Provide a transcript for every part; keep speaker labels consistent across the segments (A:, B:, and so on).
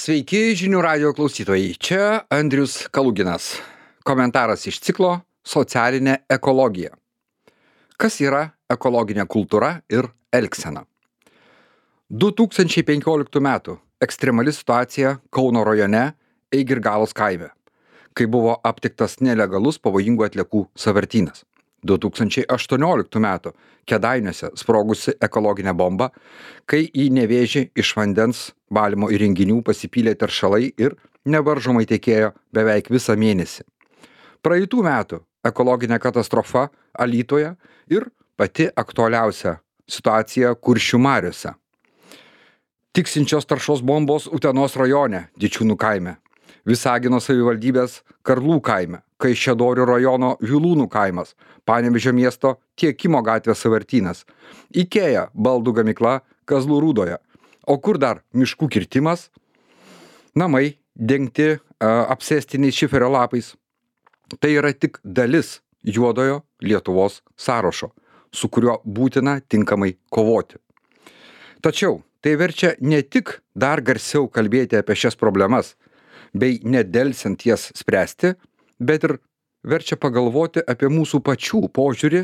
A: Sveiki žinių radijo klausytojai, čia Andrius Kaluginas. Komentaras iš ciklo Socialinė ekologija. Kas yra ekologinė kultūra ir elgsena? 2015 metų ekstremali situacija Kauno rajone Eigirgalos kaime, kai buvo aptiktas nelegalus pavojingų atliekų sąvartynas. 2018 metų Kėdainiuose sprogusi ekologinė bomba, kai į Nevėžį iš vandens valymo įrenginių pasipylė teršalai ir nevaržomai tekėjo beveik visą mėnesį. Praeitų metų ekologinė katastrofa Alytuje ir pati aktualiausia situacija Kuršių mariose. Tiksinčios taršos bombos Utenos rajone Dičiūnų kaime, Visagino savivaldybės Karlų kaime, Kaišiadorių rajono Vilūnų kaimas, Panevėžio miesto Tiekimo gatvės sąvartynas, Ikea baldų gamykla Kazlų Rūdoje, o kur dar miškų kirtimas, namai dengti apsėstiniais šiferio lapais. Tai yra tik dalis juodojo Lietuvos sąrašo, su kuriuo būtina tinkamai kovoti. Tačiau tai verčia ne tik dar garsiau kalbėti apie šias problemas, bei nedelsiant jas spręsti, bet ir verčia pagalvoti apie mūsų pačių požiūrį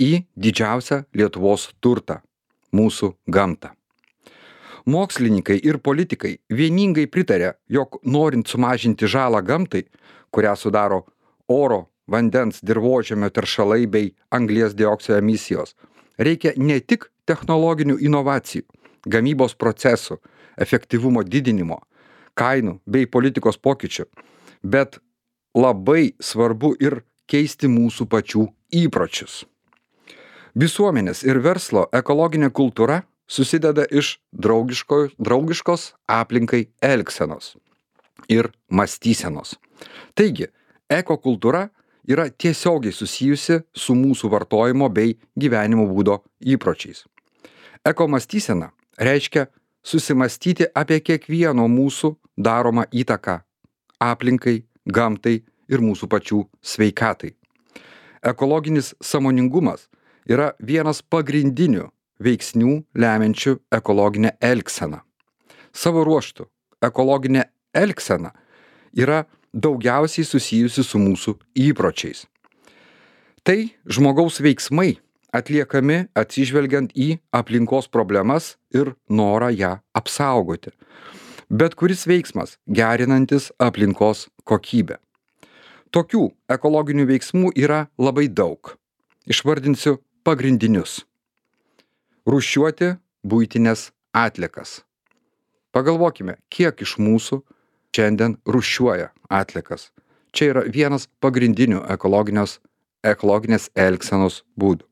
A: į didžiausią Lietuvos turtą – mūsų gamtą. Mokslininkai ir politikai vieningai pritarė, jog norint sumažinti žalą gamtai, kurią sudaro oro, vandens, dirvožemio teršalai bei anglies dioksido emisijos, reikia ne tik technologinių inovacijų, gamybos procesų, efektyvumo didinimo, kainų bei politikos pokyčių, bet labai svarbu ir keisti mūsų pačių įpročius. Visuomenės ir verslo ekologinė kultūra susideda iš draugiškos aplinkai elgsenos ir mąstysenos. Taigi, ekokultūra yra tiesiogiai susijusi su mūsų vartojimo bei gyvenimo būdo įpročiais. Ekomąstysena reiškia susimąstyti apie kiekvieno mūsų daromą įtaką aplinkai, gamtai ir mūsų pačių sveikatai. Ekologinis sąmoningumas yra vienas pagrindinių veiksnių lemiančių ekologinę elgseną. Savo ruožtu, ekologinė elgsena yra daugiausiai susijusi su mūsų įpročiais. Tai žmogaus veiksmai atliekami atsižvelgiant į aplinkos problemas ir norą ją apsaugoti. Bet kuris veiksmas gerinantis aplinkos kokybę. Tokių ekologinių veiksmų yra labai daug. Išvardinsiu pagrindinius. Rūšiuoti buitines atliekas. Pagalvokime, kiek iš mūsų šiandien rūšiuoja atliekas. Čia yra vienas pagrindinių ekologinės elgsenos būdų.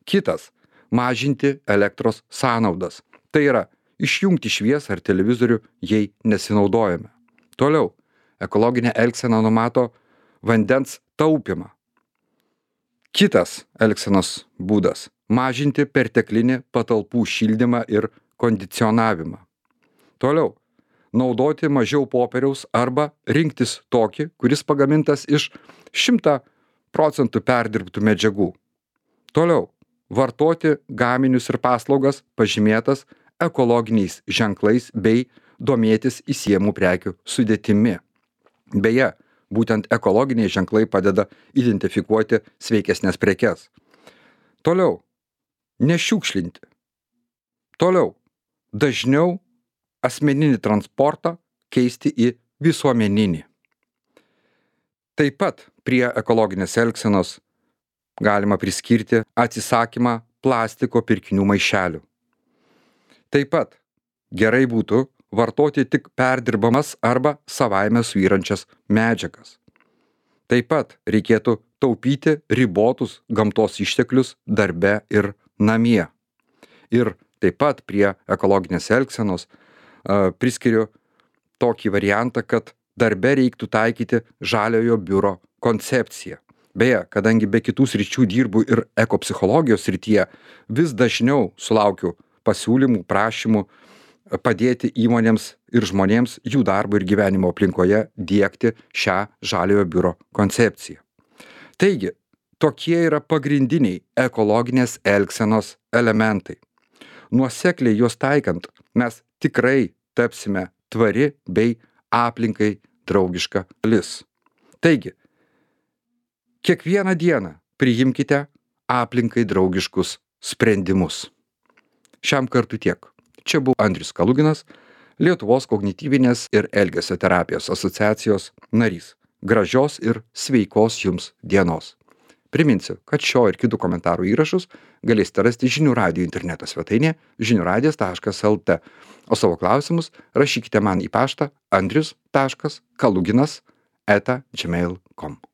A: Kitas – mažinti elektros sąnaudas. Tai yra išjungti šviesą ar televizorių, jei nesinaudojame. Toliau, ekologinė elgsena numato vandens taupymą. Kitas elgsenos būdas – mažinti perteklinį patalpų šildymą ir kondicionavimą. Toliau, naudoti mažiau popieriaus arba rinktis tokį, kuris pagamintas iš 100% perdirbtų medžiagų. Toliau, vartoti gaminius ir paslaugas pažymėtas ekologiniais ženklais bei domėtis įsiejamų prekių sudėtimi. Beje, būtent ekologiniai ženklai padeda identifikuoti sveikesnės prekes. Toliau, nešiukšlinti. Toliau, dažniau asmeninį transportą keisti į visuomeninį. Taip pat prie ekologinės elgsenos galima priskirti atsisakymą plastiko pirkinių maišelių. Taip pat gerai būtų vartoti tik perdirbamas arba savaime suyrančias medžiagas. Taip pat reikėtų taupyti ribotus gamtos išteklius darbe ir namie. Ir taip pat prie ekologinės elgsenos priskiriu tokį variantą, kad darbe reiktų taikyti žaliojo biuro koncepciją. Beje, kadangi be kitų sričių dirbu ir ekopsichologijos srityje, vis dažniau sulaukiu pasiūlymų, prašymų padėti įmonėms ir žmonėms jų darbo ir gyvenimo aplinkoje diegti šią žaliojo biuro koncepciją. Taigi, tokie yra pagrindiniai ekologinės elgsenos elementai. Nuosekliai juos taikant, mes tikrai tapsime tvari bei aplinkai draugiška šalis. Taigi, kiekvieną dieną priimkite aplinkai draugiškus sprendimus. Šiam kartui tiek. Čia buvo Andrius Kaluginas, Lietuvos kognityvinės ir elgesio terapijos asociacijos narys. Gražios ir sveikos jums dienos. Priminsiu, kad šio ir kitų komentarų įrašus galėsite rasti Žinių radijo interneto svetainėje žiniųradijas.lt, o savo klausimus rašykite man į paštą andrius.kaluginas@gmail.com.